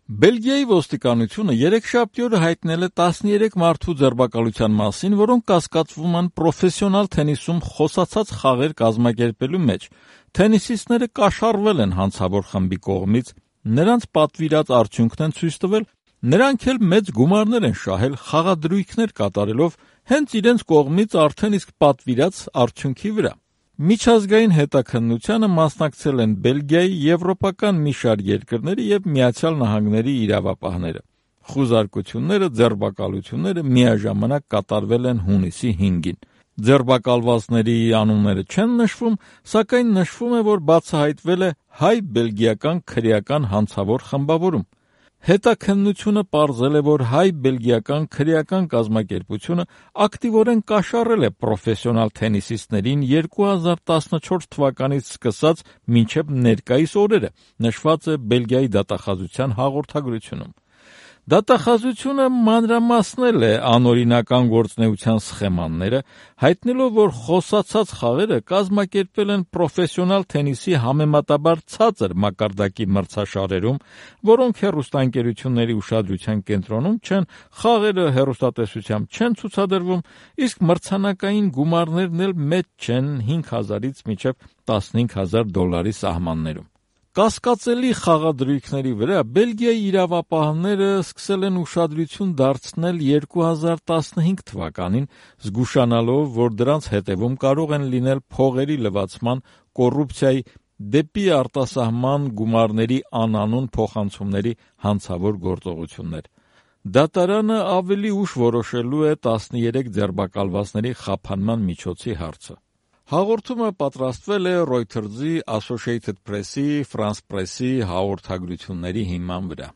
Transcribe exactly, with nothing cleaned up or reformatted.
Բելգիայի ոստիկանությունը երեքշաբթի օրը հայտնել է տասներեք մարդու ձերբակալության մասին, որոնք կասկածվում են պրոֆեսիոնալ թենիսում խոսացած խաղեր կազմակերպելու մեջ։ Թենիսիստները կաշառվել են հանցավոր խմբի կողմից, նրանց պատվիրած արդյունքն են ցույց տվել, նրանք էլ մեծ գումարներ են շահել խաղադրույքներ կատարելով հենց իրենց կողմից արդեն իսկ պատվիրած արդյունքի վրա։ Միջազգային հետաքննությանը մասնակցել են Բելգիայի, եվրոպական մի շարք երկրների եւ Միացյալ Նահանգների իրավապահները։ Խուզարկությունները, ձերբակալությունները միաժամանակ կատարվել են հունիսի հինգին։ Ձերբակալվածների անունները չեն նշվում, սակայն նշվում է, որ բացահայտվել է հայ-բելգիական քրեական հանցավոր խմբավորում։ Հետաքննությունը պարզել է, որ հայ-բելգիական քրեական կազմակերպությունը ակտիվորեն կաշառել է պրոֆեսիոնալ թենիսիստներին երկու հազար տասնչորս թվականից սկսած մինչև ներկայիս օրերը, նշված է Բելգիայի դատախազության հաղորդագրությունում։ Դատախազությունը մանրամասնել է անօրինական գործունեության սխեմաները, հայտնելով, որ խոսացած խաղերը կազմակերպվել են պրոֆեսիոնալ թենիսի համեմատաբար ցածր մակարդակի մրցաշարերում, որոնք հեռուստաընկերությունների ուշադրության կենտրոնում չեն, խաղերը հեռուստատեսությամբ չեն ցուցադրվում, իսկ մրցանակային գումարներն էլ մեծ չեն հինգ հազարից մինչև տասնհինգ հազար դոլարի սահմաններում։ Կասկածելի խաղադրույքների վրա Բելգիայի իրավապահները սկսել են ուշադրություն դարձնել երկու հազար տասնհինգ թվականին, զգուշանալով, որ դրանց հետևում կարող են լինել փողերի լվացման, կոռուպցիայի, դեպի արտասահման գումարների անանուն փոխանցումների հանցավոր գործողություններ։ Դատարանը ավելի ուշ որոշելու է տասներեք ձերբակալվածների խաբանման միջոցի հարցը։ Հաղորդումը պատրաստվել է Reuters-ի, Associated Press-ի, France Press-ի հաղորդագրությունների հիման վրա։